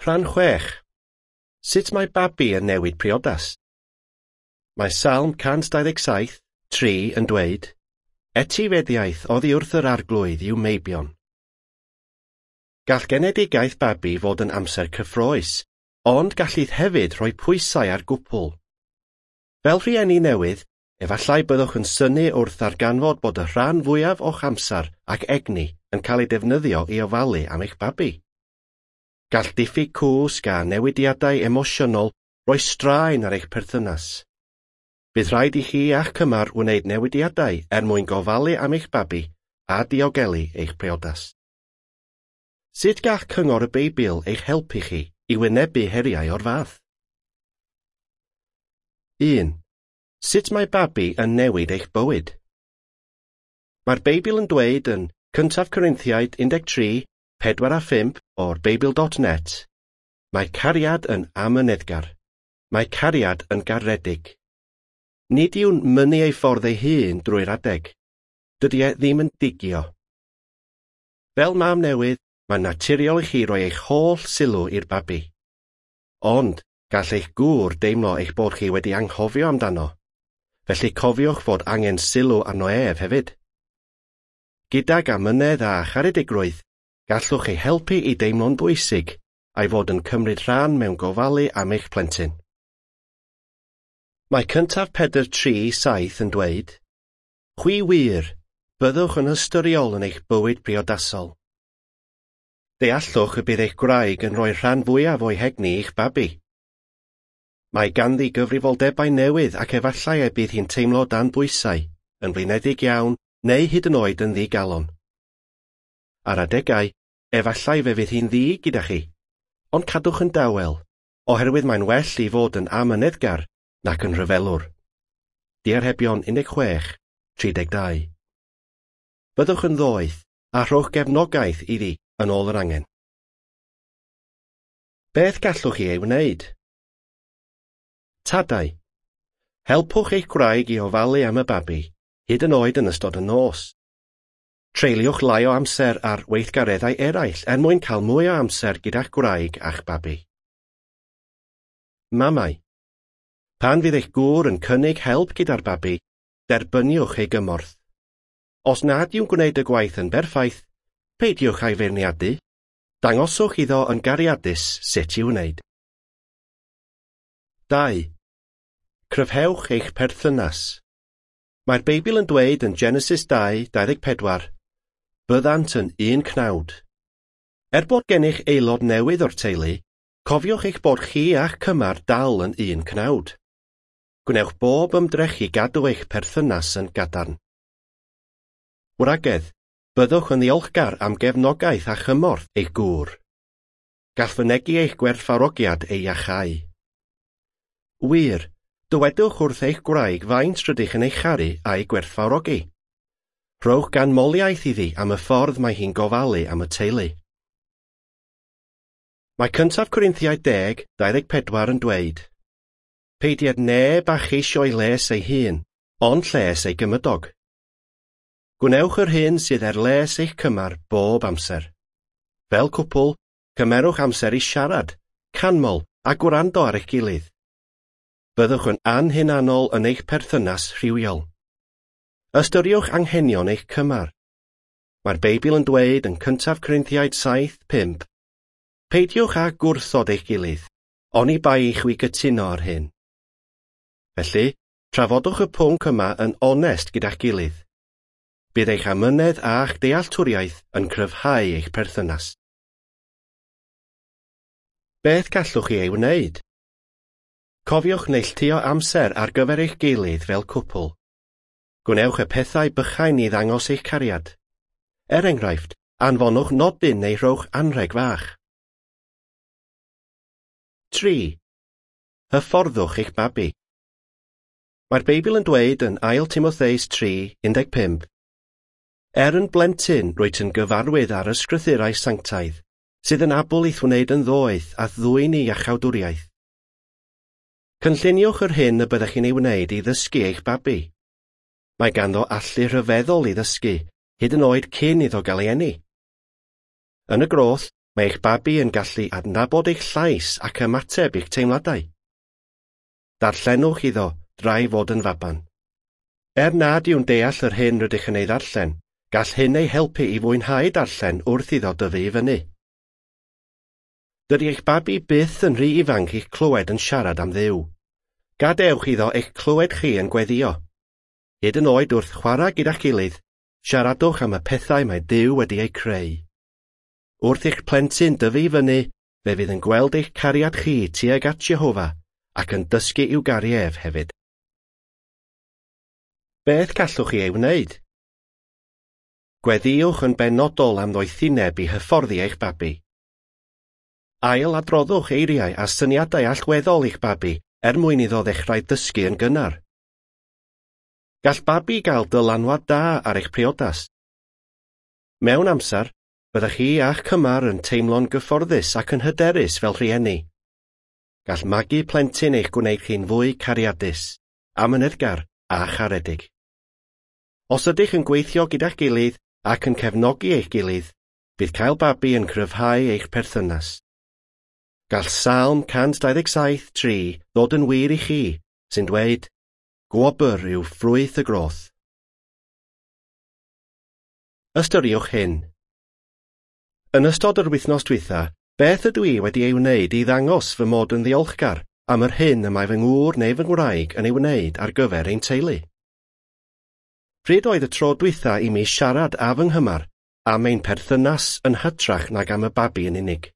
Rhan 6. Sut mae babi yn newid priodas? Mae Salm 127, 3 yn dweud, Etifeddiaeth oddi wrth yr arglwydd i'w meibion. Gall genedigaeth babi fod yn amser cyffrous, ond gallith hefyd rhoi pwysau ar gwpl. Fel rhieni newydd, efallai byddwch yn synnu wrth ddarganfod bod y rhan fwyaf o'ch amser ac egni yn cael ei defnyddio i ofalu am eich babi. Gall diffyg cwsg a newidiadau emosiynol roi straen ar eich perthynas. Bydd rhaid i chi a'ch cymar wneud newidiadau er mwyn gofalu am eich babi a diogelu eich priodas. Sut gall cyngor y Beibl eich helpu chi i wynebu heriau o'r fath? 1. Sut mae babi yn newid eich bywyd? Mae'r Beibl yn dweud yn 1 Corinthiaid 13, 4 a 5 o'r Beibl.net, mae cariad yn amyneddgar. Mae cariad yn garedig. Nid yw'n mynnu ei ffordd ei hun drwy'r adeg. Dydy e ddim yn digio. Fel mam newydd, mae'n naturiol i chi roi eich holl sylw i'r babi. Ond, gall eich gŵr deimlo eich bod chi wedi anghofio amdano. Felly cofiwch fod angen sylw arno ef hefyd. Gydag amynedd a charedigrwydd, gallwch ei helpu i deimlo'n bwysig a'i fod yn cymryd rhan mewn gofalu am eich plentyn. Mae 1 Pedr 3:7 yn dweud, Chwi wir, byddwch yn ystyriol yn eich bywyd priodasol. Deallwch y bydd eich gwraig yn rhoi rhan fwyaf o'i hegni i'ch babi. Mae ganddi gyfrifoldebau newydd ac efallai y bydd hi'n teimlo dan bwysau, yn flinedig iawn neu hyd yn oed yn ddigalon. Ar adegau, efallai fe fydd hi'n ddi gyda chi, ond cadwch yn dawel, oherwydd mae'n well i fod yn amyneddgar nac yn rhyfelwr. Diarhebion 16, 32. Byddwch yn ddoeth a rhowch gefnogaeth iddi yn ôl yr angen. Beth gallwch chi ei wneud? Tadau. Helpwch eich gwraig i ofalu am y babi, hyd yn oed yn ystod y nos. Treuliwch lai o amser ar weithgareddau eraill er mwyn cael mwy o amser gyda'ch gwraig a'ch babi. Mamau. Pan fydd eich gŵr yn cynnig help gyda'r babi, derbyniwch ei gymorth. Os nad yw'n gwneud y gwaith yn berffaith, peidiwch â'i feirniadu. Dangoswch iddo yn gariadus sut i'w wneud. 2. Cryfhewch eich perthynas. Mae'r Beibl yn dweud yn Genesis 2, 24, Byddant yn un cnawd. Er bod gennych aelod newydd o'r teulu, cofiwch eich bod chi a'ch cymar dal yn un cnawd. Gwnewch bob ymdrech i gadw eich perthynas yn gadarn. Wragedd, byddwch yn ddiolchgar am gefnogaeth a chymorth eich gŵr. Gall fynegi eich gwerthfawrogiad ei iachau. Wir, dywedwch wrth eich gwraig faint rydych yn ei charu a'i gwerthfawrogi. Rhowch ganmoliaeth iddi am y ffordd mae hi'n gofalu am y teulu. Mae 1 Corinthiaid 10, 24 yn dweud, Peidied neb â cheisio'i les ei hun, ond lles ei gymydog. Gwnewch yr hyn sydd er les eich cymar bob amser. Fel cwpl, cymerwch amser i siarad, canmol a gwrando ar eich gilydd. Byddwch yn anhunanol yn eich perthynas rhywiol. Ystyriwch anghenion eich cymar. Mae'r Beibl yn dweud yn 1 Corinthiaid 7, 5, Peidiwch â gwrthod eich gilydd, oni bai i chwi gytuno ar hyn. Felly, trafodwch y pwnc yma yn onest gyda'ch gilydd. Bydd eich amynedd a'ch dealltwriaeth yn cryfhau eich perthynas. Beth gallwch chi ei wneud? Cofiwch neilltuo amser ar gyfer eich gilydd fel cwpl. Gwnewch y pethau bychain i ddangos eich cariad. Er enghraifft, anfonwch nodyn neu rhowch anrheg fach. 3. Hyfforddwch eich babi. Mae'r Beibl yn dweud yn 2 Timotheus 3, 15, Er yn blentyn rwyt yn gyfarwydd ar ysgrythurau sanctaidd, sydd yn abl i'th wneud yn ddoeth a ddwyn i iachawdwriaeth. Cynlluniwch yr hyn y byddech chi'n ei wneud i ddysgu eich babi. Mae ganddo allu rhyfeddol i ddysgu, hyd yn oed cyn iddo gael ei eni. Yn y groth, Mae eich babi yn gallu adnabod eich llais ac ymateb i'ch teimladau. Darllenwch iddo drai fod yn faban. Er nad yw'n deall yr hyn rydych yn ei ddarllen, gall hyn ei helpu i fwynhau darllen wrth iddo dyfu i fyny. Dydy eich babi byth yn rhy ifanc i'ch clywed yn siarad am Dduw. Gadewch iddo eich clywed chi yn gweddio. Hyd yn oed wrth chwarae gyda'ch gilydd, siaradwch am y pethau mae Duw wedi eu creu. Wrth i'ch plentyn dyfu i fyny, fe fydd yn gweld eich cariad chi tuag at Jehofa ac yn dysgu i'w garu ef hefyd. Beth gallwch chi ei wneud? Gweddïwch yn benodol am ddoethineb i hyfforddi eich babi. Ail adroddwch eiriau a syniadau allweddol i'ch babi er mwyn iddo ddechrau dysgu yn gynnar. Gall babi gael dylanwad da ar eich priodas. Mewn amser, byddech chi a'ch cymar yn teimlo'n gyfforddus ac yn hyderus fel rhieni. Gall magu plentyn eich gwneud chi'n fwy cariadus, amyneddgar a charedig. Os ydych yn gweithio gyda'ch gilydd ac yn cefnogi eich gilydd, bydd cael babi yn cryfhau eich perthynas. Gall Salm 127:3 ddod yn wir i chi, sy'n dweud, "Gwobr yw ffrwyth y groth." Ystyriwch hyn. Yn ystod yr wythnos dwytha, beth ydw i wedi ei wneud i ddangos fy mod yn ddiolchgar am yr hyn y mae fy ngŵr neu fy ngwraig yn ei wneud ar gyfer ein teulu? Pryd oedd y tro dwytha i mi siarad â fy nghymar am ein perthynas yn hytrach nag am y babi yn unig?